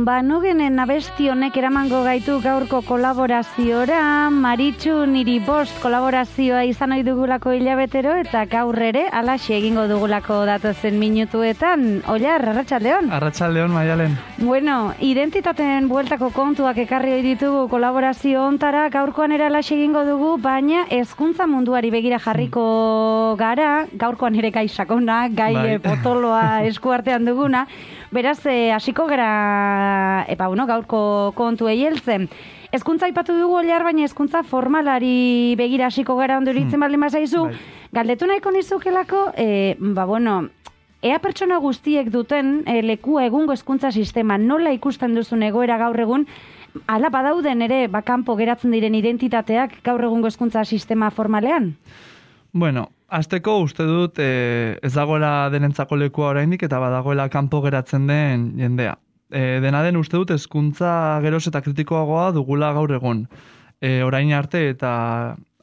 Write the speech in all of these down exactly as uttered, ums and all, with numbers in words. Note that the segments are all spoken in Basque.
Ba, nogenen abesti honek eramango gaitu gaurko kolaboraziora, Maritxu niri bost kolaborazioa izan ohi dugulako hilabetero, eta gaur ere alaxe egingo dugulako datozen minutuetan. Oilar, arratsaldeon. Arratsaldeon, Maialen. Bueno, identitateen bueltako kontuak ekarri ohi ditugu kolaborazio hontara, gaurkoan ere alaxe egingo dugu, baina hezkuntza munduari begira jarriko gara, gaurkoan ere gai sakona, gai bai. potoloa eskuartean duguna. Beraz, eh, hasiko gara, epa, bueno, gaurko kontu heltzen. Hezkuntza aipatu dugu Oilar, baina hezkuntza formalari begira hasiko gara ondo iritzen hmm. baldin bazaizu. Bai. Galdetu nahiko nizukelako, eh, ba, bueno, ea pertsona guztiek duten eh, lekua egungo hezkuntza sistema nola ikusten duzun egoera gaur egun, ala badauden ere bakanpo geratzen diren identitateak gaur egungo hezkuntza sistema formalean? Bueno, Azteko uste dut e, ez dagoela denentzako lekua oraindik eta badagoela kanpo geratzen den jendea. E, dena den uste dut hezkuntza geroz eta kritikoagoa dugula gaur egun. E, orain arte eta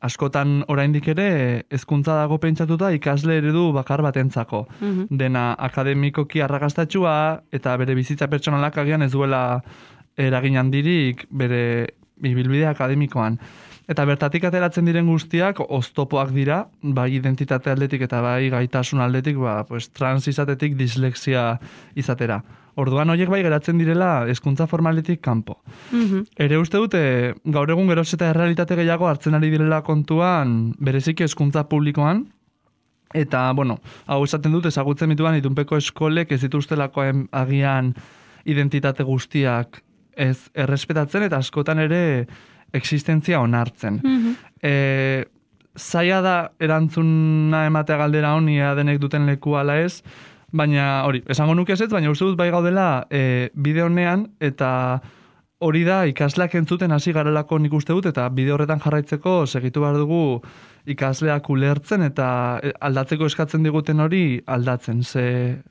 askotan oraindik ere hezkuntza dago pentsatuta ikasle eredu bakar batentzako. Mm-hmm. Dena akademikoki arrakastatxua eta bere bizitza pertsonalak agian ez duela eragin handirik bere ibilbide akademikoan. Eta bertatik ateratzen diren guztiak oztopoak dira, bai identitate aldetik eta bai gaitasun aldetik, ba, pues, trans izatetik dislexia izatera. Orduan horiek bai geratzen direla hezkuntza formaletik kanpo. Mm-hmm. Ere uste dute, gaur egun geroz eta errealitate gehiago hartzen ari direla kontuan bereziki hezkuntza publikoan, eta, bueno, hau esaten dut ezagutzen dituan itunpeko eskolek ez dituztelako agian identitate guztiak ez errespetatzen eta askotan ere existentzia onartzen. Mm-hmm. E, zaila da erantzuna ematea galdera honi ea denek duten leku ala ez, baina hori, esango nuke ez, baina uste dut bai gaudela e, bide honean, eta hori da ikasleak entzuten hasi garelako nik uste dut, eta bide horretan jarraitzeko segitu behar dugu ikasleak ulertzen eta aldatzeko eskatzen diguten hori aldatzen. Ze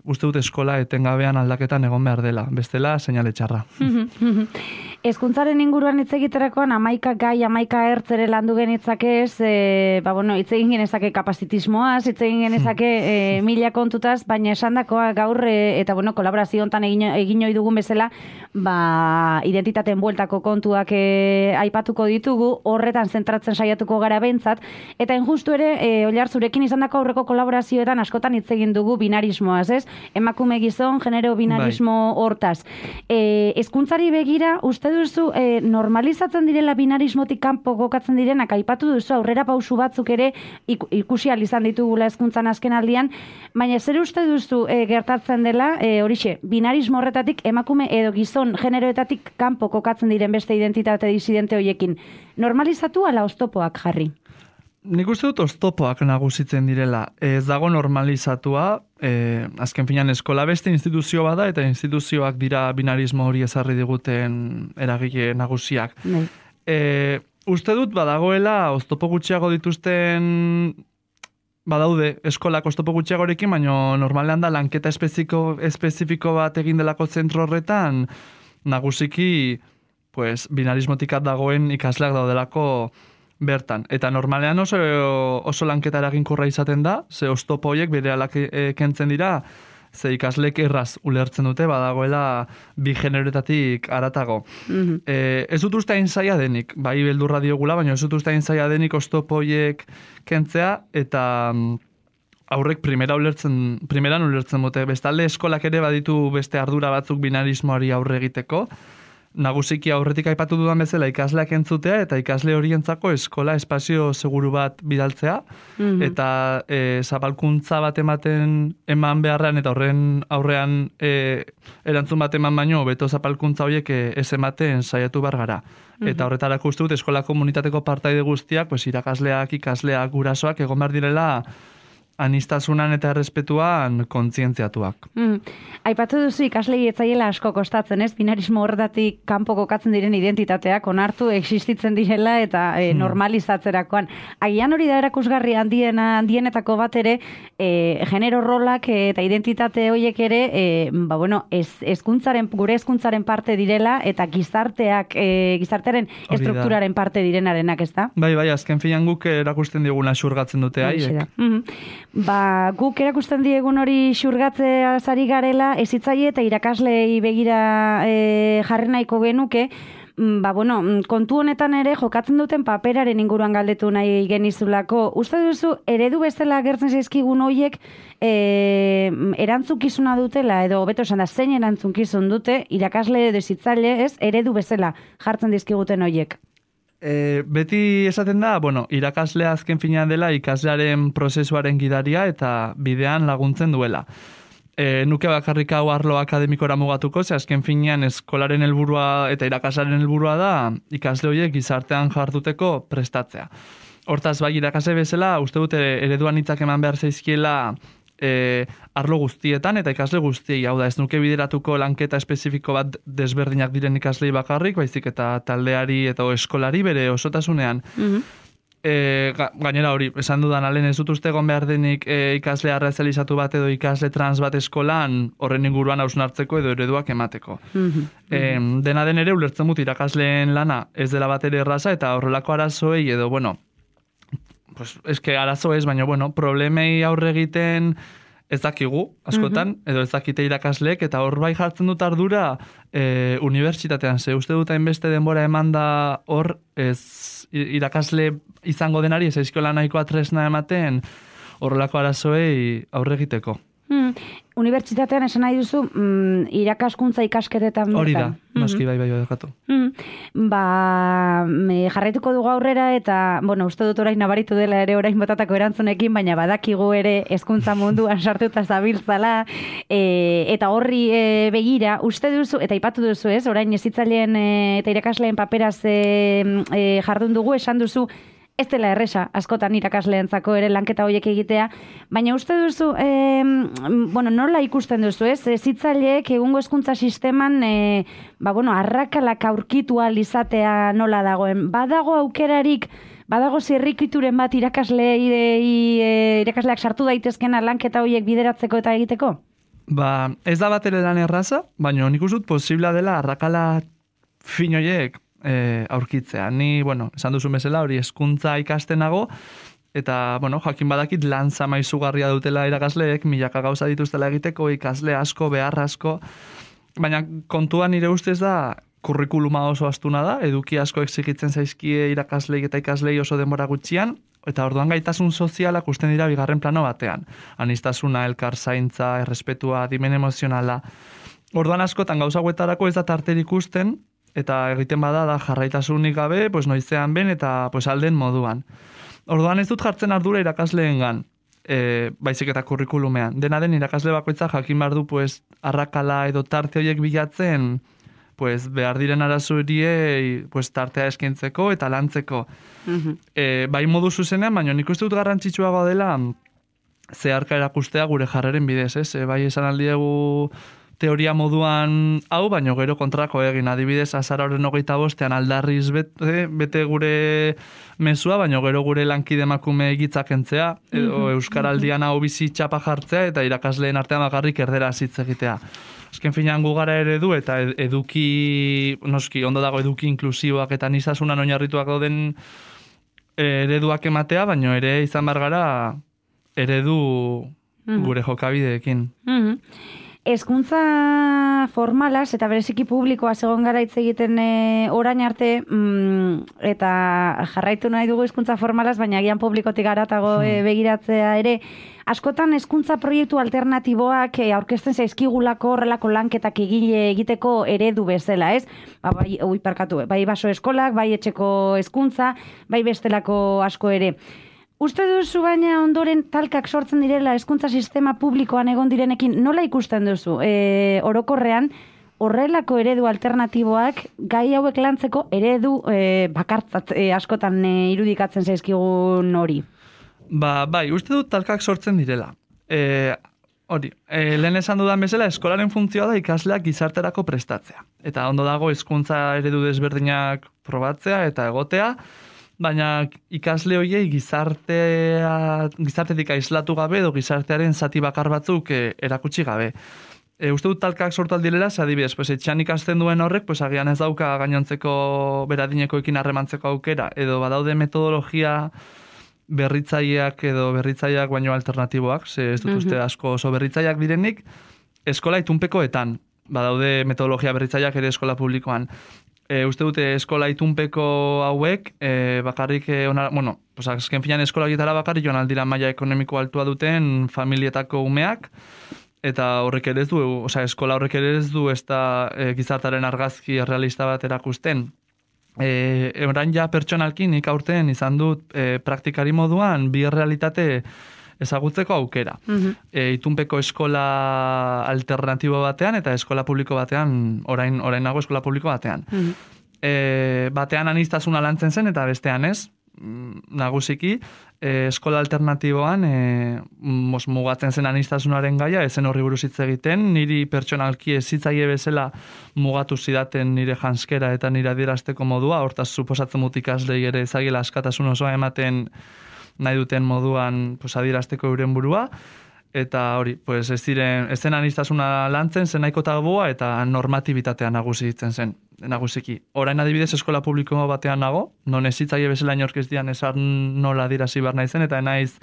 uste dut eskola etengabean aldaketan egon behar dela. Bestela, seinale txarra. Hezkuntzaren inguruan hitz egiterakoan hamaika gai, hamaika ertz ere landu genitzakez, e, ba, bueno, hitz egin genezake kapazitismoaz, hitz egin genezake e, mila kontutaz, baina esandakoa gaur e, eta bueno, kolaborazio hontan egin, egin ohi dugun bezala, ba, identitateen bueltako kontuak e, aipatuko ditugu, horretan zentratzen saiatuko gara behintzat, eta injustu ere, e, Oilar, zurekin izandako aurreko kolaborazioetan askotan hitz egin dugu binarismoaz, ez? Emakume gizon, genero binarismo hortaz. E, hezkuntzari begira, uste duzu, e, normalizatzen direla binarismotik kanpo gokatzen direnak, aipatu duzu aurrera pausu batzuk ere ikusi ahal izan ditugula hezkuntzan azken aldian, baina zer uste duzu e, gertatzen dela, e, horixe, binarismo horretatik emakume edo gizon generoetatik kanpo kokatzen diren beste identitate disidente hoiekin. Normalizatu ala oztopoak jarri? Nik uste dut oztopoak nagusitzen direla. Ez dago normalizatua, eh, azken finan eskola beste instituzio bada eta instituzioak dira binarismo hori ezarri diguten eragile nagusiak. Bai. Eh, uste dut badagoela oztopo gutxiago dituzten badaude eskolak oztopo gutxiagorekin, baina normalean da lanketa espezifiko, espezifiko bat egin delako zentro horretan nagusiki pues, binarismotik dagoen ikasleak daudelako bertan. Eta normalean oso, oso lanketa eraginkorra izaten da, ze oztopo horiek bere alak kentzen dira, ze ikaslek erraz ulertzen dute, badagoela bi generoetatik aratago. Mm-hmm. E, ez dut uste hain zaila denik, bai beldurra diogula, baina ez dut uste hain zaila denik oztopo horiek kentzea, eta aurrek primera ulertzen, primeran ulertzen dute. Bestalde eskolak ere baditu beste ardura batzuk binarismoari aurre egiteko, nagusiki aurretik aipatu dudan bezala ikasleak entzutea eta ikasle horientzako eskola espazio seguru bat bidaltzea, mm-hmm. eta e, zabalkuntza bat ematen eman beharrean eta horren aurrean e, erantzun bat eman baino beto zapalkuntza horiek e, ez ematen saiatu bar gara. Mm-hmm. Eta horretarako uste dut eskola komunitateko partaide guztiak, pues, irakasleak, ikasleak, gurasoak egon behar direla anistasunan eta errespetuan kontzientziatuak. Mm. Aipatu duzu ikaslei etzaiela asko kostatzen, ez? Binarismo horretatik kanpo kokatzen diren identitateak onartu existitzen direla eta e, mm. normalizatzerakoan. Agian hori da erakusgarri handiena handienetako bat ere, e, genero rolak eta identitate horiek ere, e, ba bueno, ez hezkuntzaren gure hezkuntzaren parte direla eta gizarteak e, gizartearen estrukturaren parte direnarenak, ez da? Bai, bai, azken finean guk erakusten diguna xurgatzen dute haiek. Mm-hmm. Ba, guk erakusten diegun hori xurgatzea zari garela, ezitzaile eta irakaslei begira e, jarri nahiko genuke, ba, bueno, kontu honetan ere jokatzen duten paperaren inguruan galdetu nahi genizulako. Uste duzu, eredu bezala agertzen zaizkigun hoiek e, erantzukizuna dutela, edo hobeto esan da, zein erantzukizun dute, irakasle edo ezitzaile, ez, eredu bezala jartzen dizkiguten hoiek? E, beti esaten da, bueno, irakaslea azken finean dela ikaslearen prozesuaren gidaria eta bidean laguntzen duela. E, nuke bakarrik hau arlo akademikora mugatuko, ze azken finean eskolaren helburua eta irakaslaren helburua da ikasle horiek gizartean jarduteko prestatzea. Hortaz, bai, irakasle bezala, uste dute ereduan hitzak eman behar zaizkiela e, arlo guztietan eta ikasle guztiei, hau da, ez nuke bideratuko lanketa espezifiko bat desberdinak diren ikaslei bakarrik, baizik eta taldeari eta eskolari bere osotasunean. Mm-hmm. E, ga, gainera hori, esan dudan, alen ez dut uste egon behar denik e, ikasle arrazalizatu bat edo ikasle trans bat eskolan horren inguruan hausnartzeko edo ereduak emateko. Mm-hmm. E, dena den ere, ulertzen dut irakasleen lana ez dela bat ere erraza eta horrelako arazoei edo, bueno, pues, eske arazo ez, baina, bueno, problemei aurre egiten ez dakigu, askotan, mm-hmm. edo ez dakite irakasleek, eta hor bai jartzen dut ardura e, unibertsitatean, ze uste dut hainbeste denbora eman da hor ez irakasle izango denari, ez aizkola nahikoa tresna ematen horrelako arazoei aurre egiteko. Hmm. Unibertsitatean esan nahi duzu mm, irakaskuntza ikasketetan bertan. Hori da, noski bai bai bai dekatu. Hmm. Ba, me jarraituko dugu aurrera eta, bueno, uste dut orain nabaritu dela ere orain botatako erantzunekin, baina badakigu ere hezkuntza munduan sartuta zabiltzala, e, eta horri e, begira, uste duzu, eta ipatu duzu ez, orain ezitzaileen e, eta irakasleen paperaz e, e, jardun dugu, esan duzu, ez dela erresa, askotan irakasleentzako ere lanketa horiek egitea, baina uste duzu, e, bueno, nola ikusten duzu, ez? Hezitzaileek egungo hezkuntza sisteman, e, ba, bueno, arrakalak aurkitu ahal izatea nola dagoen. Badago aukerarik, badago zirrikituren bat irakasleei, e, irakasleak sartu daitezkena lanketa horiek bideratzeko eta egiteko? Ba, ez da bat ere lan erraza, baina nik uste dut posibla dela arrakala fin horiek E, aurkitzea. Ni, bueno, esan duzu bezala hori hezkuntza ikastenago, eta, bueno, jakin badakit lan zama izugarria dutela irakasleek, milaka gauza dituztela egiteko, ikasle asko, behar asko, baina kontuan nire ustez da, kurrikuluma oso astuna da, eduki asko exigitzen zaizkie irakasleik eta ikaslei oso denbora gutxian, eta orduan gaitasun sozialak usten dira bigarren plano batean. Anistasuna, elkar zaintza, errespetua, dimen emozionala. Orduan askotan gauza guetarako ez da tarterik ikusten, eta egiten bada da jarraitasunik gabe, pues noizean ben eta pues alden moduan. Orduan ez dut jartzen ardura irakasleengan, e, baizik eta kurrikulumean. Dena den irakasle bakoitza jakin behar du pues arrakala edo tarte horiek bilatzen, pues behar diren arazoeriei pues tartea eskintzeko eta lantzeko. Mm-hmm. E, bai modu zuzenean, baina nik uste dut garrantzitsuagoa dela zeharka erakustea gure jarreren bidez, ez? E, bai esan aldiegu teoria moduan hau, baino gero kontrako egin. Adibidez, azaroren hogeita bostean aldarriz bete, bete gure mezua, baino gero gure lankide emakume egitzak entzea, edo Euskaraldian hau bizi txapa jartzea, eta irakasleen artean bakarrik erdera hitz egitea. Azken finean gu gara eredu, eta eduki, noski, ondo dago eduki inklusiboak eta nizasunan oinarrituak dauden ereduak ematea, baino ere izan bar gara eredu gure jokabideekin. Mm-hmm. Hezkuntza formalaz eta bereziki publikoa egon gara hitz egiten e, orain arte mm, eta jarraitu nahi dugu hezkuntza formalaz, baina agian publikotik garatago e, begiratzea ere, askotan hezkuntza proiektu alternatiboak e, aurkezten zaizkigulako horrelako lanketak egile egiteko eredu bezala, ez? Ba, bai, ui, parkatu, bai baso eskolak, bai etxeko hezkuntza, bai bestelako asko ere. Uste duzu baina ondoren talkak sortzen direla hezkuntza sistema publikoan egon direnekin, nola ikusten duzu? E, orokorrean, horrelako eredu alternatiboak gai hauek lantzeko eredu e, bakartzat e, askotan e, irudikatzen zaizkigun hori? Ba, bai, uste dut talkak sortzen direla. E, hori, e, lehen esan dudan bezala, eskolaren funtzioa da ikasleak gizarterako prestatzea. Eta ondo dago hezkuntza eredu desberdinak probatzea eta egotea, baina ikasle horiei gizartea, gizartetik aislatu gabe edo gizartearen zati bakar batzuk e, erakutsi gabe. E, uste dut talkak sortu aldirela, adibidez, pues, etxean ikasten duen horrek, pues, agian ez dauka gainontzeko beradinekoekin harremantzeko aukera, edo badaude metodologia berritzaileak edo berritzaileak baino alternatiboak, ze ez dut uste asko oso berritzaileak direnik, eskola itunpekoetan, badaude metodologia berritzaileak ere eskola publikoan. E, uste dute eskola itunpeko hauek, e, bakarrik, e, ona, bueno, pues azken finan eskola gietara bakarrik joan aldira maila ekonomiko altua duten familietako umeak, eta horrek ere ez du, osea, eskola horrek ere ez du ez da e, gizartaren argazki realista bat erakusten. E, Euran ja pertsonalkin nik aurten izan dut e, praktikari moduan bi realitate ezagutzeko aukera. Uh-huh. E, itunpeko eskola alternatibo batean eta eskola publiko batean, orain, orain nago eskola publiko batean. Uh-huh. E, batean aniztasuna lantzen zen eta bestean ez, nagusiki, e, eskola alternatiboan e, mos, mugatzen zen anistasunaren gaia, ezen horri buruz hitz egiten, niri pertsonalki ezitzaile bezala mugatu zidaten nire janskera eta nire adierazteko modua, hortaz suposatzen dut ikaslei ere ezagila askatasun osoa ematen nahi duten moduan pues, adierazteko euren burua, eta hori, pues, ez ziren, ez zen anistasuna lantzen, zen nahiko tabua eta normatibitatea nagusitzen zen, nagusiki. Orain adibidez eskola publiko batean nago, non ez zitzaile bezala inork ez dian esan nola adierazi behar naizen, eta naiz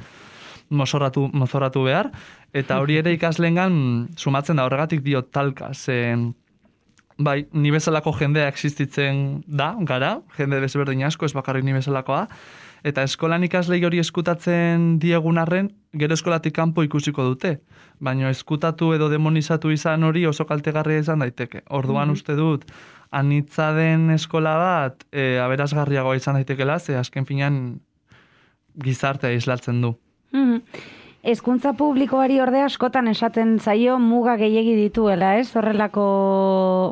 mozorratu, mozorratu behar, eta hori ere ikaslengan sumatzen da, horregatik diot talka, zen bai, ni bezalako jendea existitzen da, gara, jende desberdin asko, ez bakarrik ni bezalakoa, eta eskolan ikaslei hori eskutatzen diegun arren, gero eskolatik kanpo ikusiko dute. Baina eskutatu edo demonizatu izan hori oso kaltegarria izan daiteke. Orduan mm-hmm. uste dut, anitza den eskola bat, e, aberasgarriagoa izan daitekela, ze azken finean gizartea islatzen du. Mm-hmm. Hezkuntza publikoari ordea askotan esaten zaio muga gehiegi dituela, ez? Horrelako,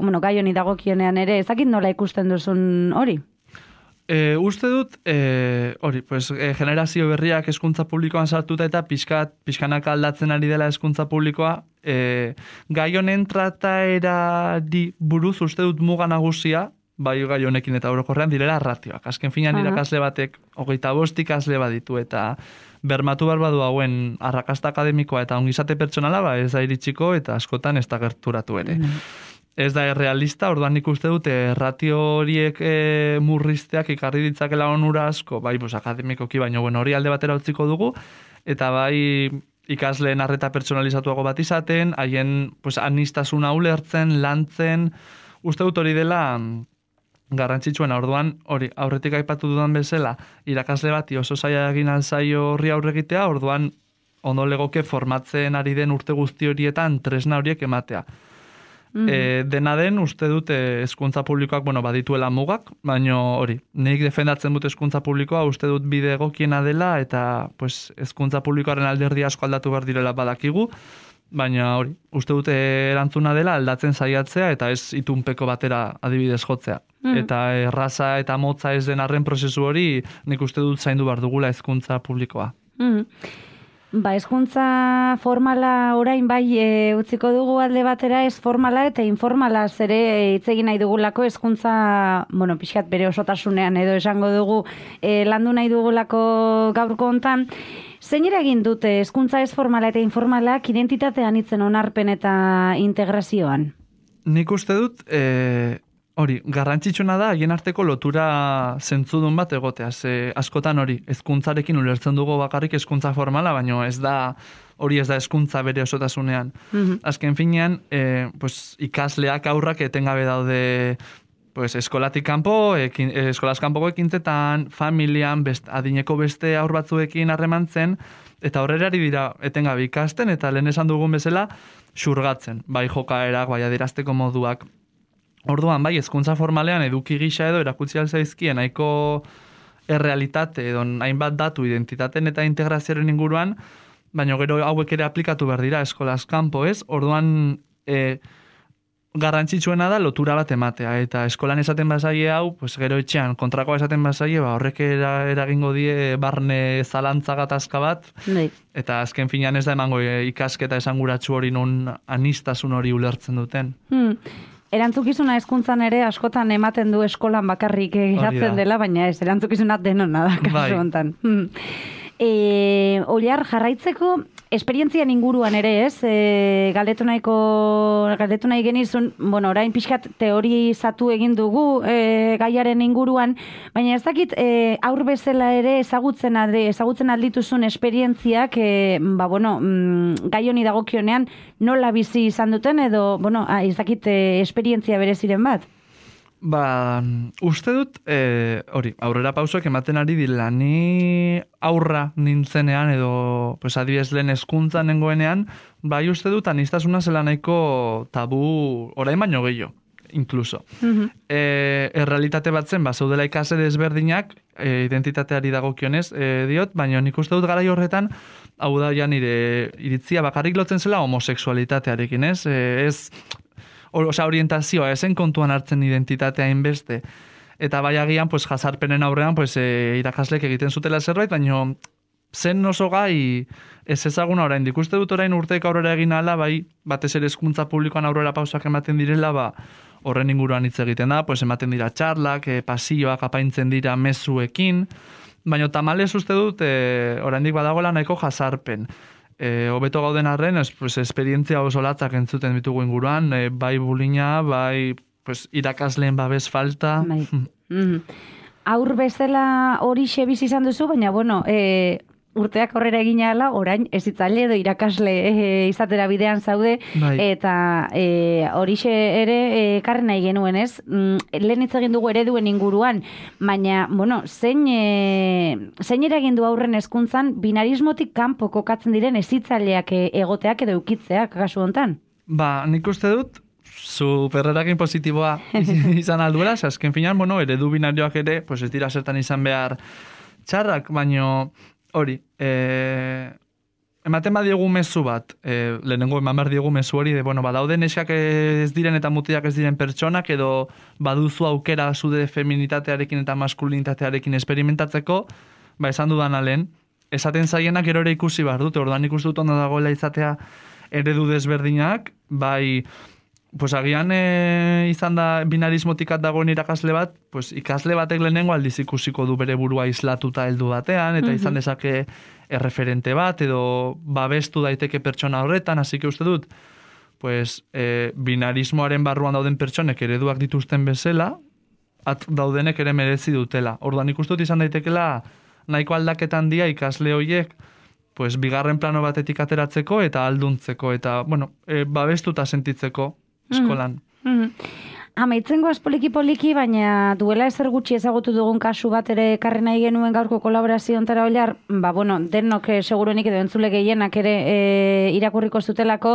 bueno, gai honi dagokionean ere, ezakit nola ikusten duzun hori? E, uste dut, e, hori, pues, e, generazio berriak hezkuntza publikoan sartuta eta pixkat, pixkanak aldatzen ari dela hezkuntza publikoa, e, gai honen trataerari buruz uste dut muga nagusia, bai gai honekin eta orokorrean direla ratioak. Azken finan irakasle batek, hogeita bost ikasle baditu eta bermatu behar badu hauen arrakasta akademikoa eta ongizate pertsonala, ba, ez da iritsiko eta askotan ez da gerturatu ere. Mm. Ez da errealista, orduan nik uste dute ratio horiek e, murrizteak ikarri ditzakela onura asko, bai, pues, akademikoki, baino bueno, hori alde batera utziko dugu, eta bai ikasleen arreta pertsonalizatuago bat izaten, haien pues, anistasuna ulertzen, lantzen, uste dut hori dela garrantzitsuena, orduan hori aurretik aipatu dudan bezala, irakasle bati oso zaila egin alzaio horri aurregitea, orduan ondo legoke formatzen ari den urte guzti horietan tresna horiek ematea. Mm-hmm. E, dena den, uste dut hezkuntza publikoak, bueno, badituela mugak, baino hori, nik defendatzen dut hezkuntza publikoa, uste dut bide egokiena dela, eta pues, hezkuntza publikoaren alderdi asko aldatu behar direla badakigu, baina hori, uste dut erantzuna dela aldatzen saiatzea, eta ez itunpeko batera adibidez jotzea. Mm-hmm. Eta erraza eta motza ez den arren prozesu hori, nik uste dut zaindu behar dugula hezkuntza publikoa. Mm-hmm. Ba, hezkuntza formala orain bai e, utziko dugu alde batera, ez formala eta informala zere hitz egin nahi dugulako hezkuntza, bueno, pixkat bere osotasunean edo esango dugu e, landu nahi dugulako gaurko hontan. Zein eragin dute hezkuntza ez formala eta informalak identitatean hitzen onarpen eta integrazioan? Nik uste dut, e, hori, garrantzitsuna da haien arteko lotura zentzudun bat egotea. Ze askotan hori, hezkuntzarekin ulertzen dugu bakarrik hezkuntza formala, baino ez da hori ez da hezkuntza bere osotasunean. Mm-hmm. Azken finean, e, pues, ikasleak aurrak etengabe daude pues, eskolatik kanpo, ekin, eskolaz kanpoko ekintzetan, familian, best, adineko beste aur batzuekin harremantzen, eta horrerari dira etengabe ikasten, eta lehen esan dugun bezala, xurgatzen, bai jokaerak, bai adierazteko moduak. Orduan, bai, hezkuntza formalean eduki gisa edo erakutsi alzaizkien nahiko errealitate edo hainbat datu identitaten eta integrazioaren inguruan, baina gero hauek ere aplikatu behar dira eskolaz kanpo, ez? Orduan, e, garrantzitsuena da lotura bat ematea, eta eskolan esaten bazaie hau, pues gero etxean kontrakoa esaten bazaie, ba, horrek era, eragingo die barne zalantza gatazka bat, Nei. Eta azken finean ez da emango e, ikasketa esanguratsu hori non anistasun hori ulertzen duten. Hmm. Erantzukizuna hezkuntzan ere askotan ematen du eskolan bakarrik geratzen dela, baina ez, erantzukizuna denona da, kasu hontan. Hmm. E, Oliar, jarraitzeko, esperientzian inguruan ere, ez? E, galdetu nahiko, galdetu nahi genizun, bueno, orain pixkat teorizatu egin dugu e, gaiaren inguruan, baina ez dakit e, aur bezala ere ezagutzen alde, ezagutzen aldituzun esperientziak, e, ba, bueno, mm, gai honi dagokionean nola bizi izan duten edo, bueno, ez dakit e, esperientzia bereziren bat? Ba, uste dut, e, hori, aurrera pausoak ematen ari dila, ni aurra nintzenean edo, pues, adibidez lehen hezkuntza nengoenean, bai uste dut, anistasuna zela nahiko tabu orain baino gehiago, incluso. Uh-huh. E, errealitate bat zen, ba, zaudela ikase desberdinak, e, identitateari dagokionez, e, diot, baina nik uste dut garai horretan, hau da ja nire iritzia bakarrik lotzen zela homosexualitatearekin, ez? E, ez Osa, orientazioa, esen kontuan hartzen identitatea inbeste. Eta bai agian, pues, jazarpenen aurrean, pues, e, irakaslek egiten zutela zerbait, baina zen oso gai ez ezaguna orain. Dikuste dut orain urteek aurrera egin ala, bai, batez ere hezkuntza publikoan aurrera pausak ematen direla, ba, horren inguruan hitz egiten da, pues, ematen dira txarlak, e, pasioak apaintzen dira mezuekin, baina tamalez uste dut, e, oraindik badagoela nahiko jazarpen. E, hobeto gauden arren, es, pues, esperientzia oso latzak entzuten ditugu inguruan, e, bai bulina, bai pues, irakasleen babes falta. Bai. Mm. Aur bezala hori xebiz izan duzu, baina, bueno, e, urteak horrera egin ala, orain ez itzaile edo irakasle e, izatera bidean zaude, bai. Eta e, horixe ere e, karri nahi genuen, ez? Mm, lehen hitz egin dugu ereduen inguruan, baina, bueno, zein, e, zein eragin du aurren hezkuntzan binarismotik kanpo kokatzen diren ezitzaileak egoteak edo eukitzeak kasu hontan? Ba, nik uste dut, superreragin positiboa izan alduela, azken finan, bueno, eredu binarioak ere, pues ez dira zertan izan behar txarrak, baino hori, e, ematen badiegu mezu bat, e, lehenengo eman behar diegu mezu hori, de, bueno, badaude neskak ez diren eta mutiak ez diren pertsonak, edo baduzu aukera zude feminitatearekin eta maskulinitatearekin esperimentatzeko, ba, esan dudan alen, esaten zaienak gero ere ikusi behar dute, orduan ikusi dut ondo dagoela izatea eredu desberdinak, bai, pues agian e, izan da binarismotikat dagoen irakasle bat, pues ikasle batek lehenengo aldiz ikusiko du bere burua islatuta heldu batean, eta izan dezake erreferente bat, edo babestu daiteke pertsona horretan, hasi que uste dut, pues e, binarismoaren barruan dauden pertsonek ereduak dituzten bezala, at daudenek ere merezi dutela. Orduan ikusten dut izan daitekela nahiko aldaketan dia ikasle horiek, pues bigarren plano batetik ateratzeko eta alduntzeko, eta, bueno, e, babestuta sentitzeko eskolan. Mm-hmm. Amaitzen goaz poliki-poliki, baina duela ezer gutxi ezagutu dugun kasu bat ere ekarri nahi genuen gaurko kolaborazio ontara oilar, ba, bueno, denok eh, seguruenik edo entzule gehienak ere eh, irakurriko zutelako,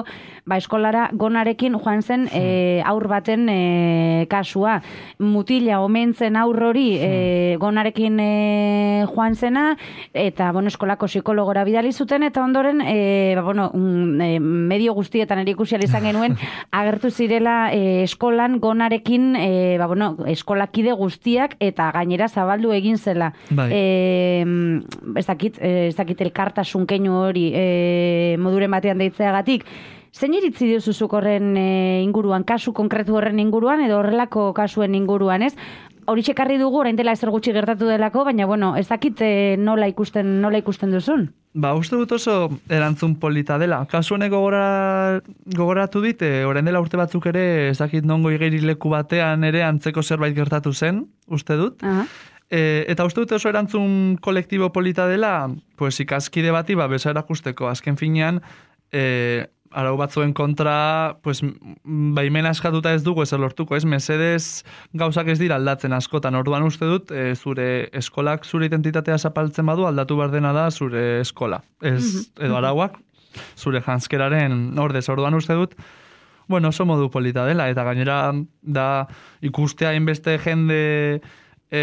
ba, eskolara gonarekin joan zen eh, aur baten eh, kasua. Mutila omentzen aur hori eh, gonarekin eh, joan zena, eta, bueno, eskolako psikologora bidali zuten, eta ondoren, eh, ba, bueno, mm, eh, medio guztietan erikusial izan genuen, agertu zirela eh, eskolan gonarekin Ekin, e, ba, bueno, eskolakide guztiak eta gainera zabaldu egin zela. Bai. E, ez dakit, ez dakit elkartasun keinu hori e, moduren batean deitzeagatik. Zein iritzi diozuzuk horren e, inguruan, kasu konkretu horren inguruan edo horrelako kasuen inguruan, ez? Hori txekarri dugu, orain dela ezer gutxi gertatu delako, baina, bueno, ez dakit e, nola ikusten, nola ikusten duzun? Ba, uste dut oso erantzun polita dela. Kasu honek gogora, gogoratu dit, e, orain dela urte batzuk ere, ez dakit nongo igerileku batean ere antzeko zerbait gertatu zen, uste dut. Uh-huh. E, eta uste dut oso erantzun kolektibo polita dela, pues ikaskide bati, ba, besa erakusteko. Azken finean, e, arau batzuen kontra, pues, baimena eskatuta ez dugu ezer lortuko, ez? Mesedez gauzak ez dira aldatzen askotan. Orduan uste dut, e, zure eskolak zure identitatea zapaltzen badu, aldatu behar dena da zure eskola. Ez, edo arauak, zure janskeraren ordez. Orduan uste dut, bueno, oso modu polita dela, eta gainera da ikustea inbeste jende e,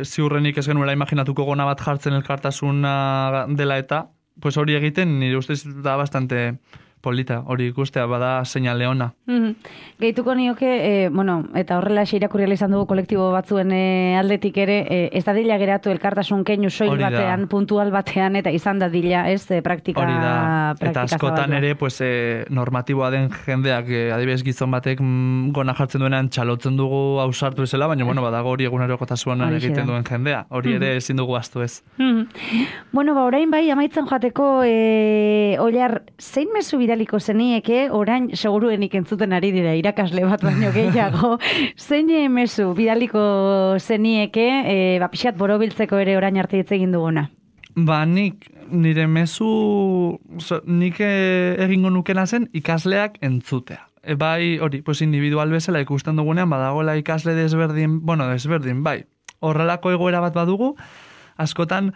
ziurrenik ez genuela imaginatuko gona bat jartzen elkartasuna dela eta, pues hori egiten, nire ustez da bastante polita, hori ikustea, bada seinale ona. Mm-hmm. Gehituko nioke, e, bueno, eta horrela irakurriala izan dugu kolektibo batzuen e, aldetik ere, e, ez da dila geratu elkartasun keinu soil batean, puntual batean, eta izan da dila, ez, e, praktika, hori da, praktika eta askotan zabalua. Ere, pues, e, normatiboa den jendeak, e, adibidez gizon batek mm, gona jartzen duenean txalotzen dugu ausartu ezela, baina, bueno, badago hori egunerokotasunean egiten duen jendea, hori ere ezin dugu astu ez. Mm-hmm. Bueno, ba, orain bai, amaitzen joateko, e, Oilar, zein mezu bidaliko zenieke, orain seguruenik entzuten ari dira irakasle bat baino gehiago, zein mezu bidaliko zenieke, e, ba, pixat borobiltzeko ere orain arte hitz egin duguna? Ba, nik, nire mezu, so, nik egingo nukena zen ikasleak entzutea. E, bai, hori, pues individual bezala ikusten dugunean, badagoela ikasle desberdin, bueno, desberdin, bai, horrelako egoera bat badugu, askotan,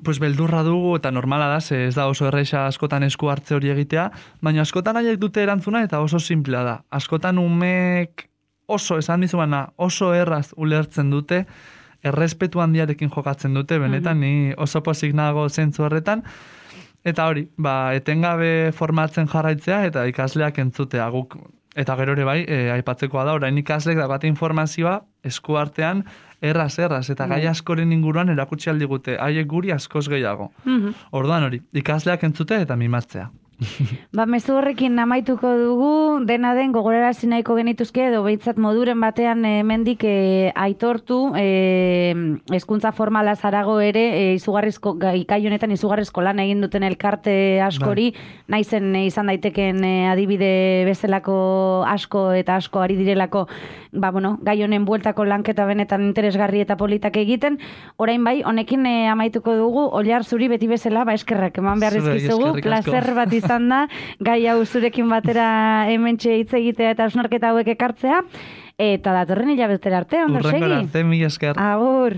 pues beldurra dugu eta normala da, ze ez da oso erraixa askotan esku hartze hori egitea, baina askotan haiek dute erantzuna eta oso simplea da. Askotan umek oso, esan dizubana, oso erraz ulertzen dute, errespetu handiarekin jokatzen dute, benetan ni oso pozik nago zentzu horretan, eta hori, ba, etengabe formatzen jarraitzea eta ikasleak entzutea guk. Eta gero ere bai, e, aipatzekoa da, orain ikaslek daukate informazioa esku artean erraz, erraz, eta gai askoren inguruan erakutsi aldigute, haiek guri askoz gehiago. Mm-hmm. Orduan hori, ikasleak entzute eta mimatzea. Ba, mezu horrekin amaituko dugu, dena den gogorarazi nahiko genituzke, edo behitzat moduren batean hemendik e, aitortu, e, hezkuntza formala zarago ere, e, izugarrizko, ikai honetan izugarrizko lan egin duten elkarte askori, bai. Naizen e, izan daiteken e, adibide bezalako asko eta asko ari direlako, ba, bueno, gai honen bueltako lanketa benetan interesgarri eta politak egiten, orain bai, honekin e, amaituko dugu, Oilar zuri beti bezala, ba, eskerrak eman beharrezkizugu, placer bat izan da, gai hau zurekin batera hementxe hitz egitea eta hausnarketa hauek ekartzea, eta datorren hilabetera arte, ondo segi? Urrengora arte, mila esker. Agur.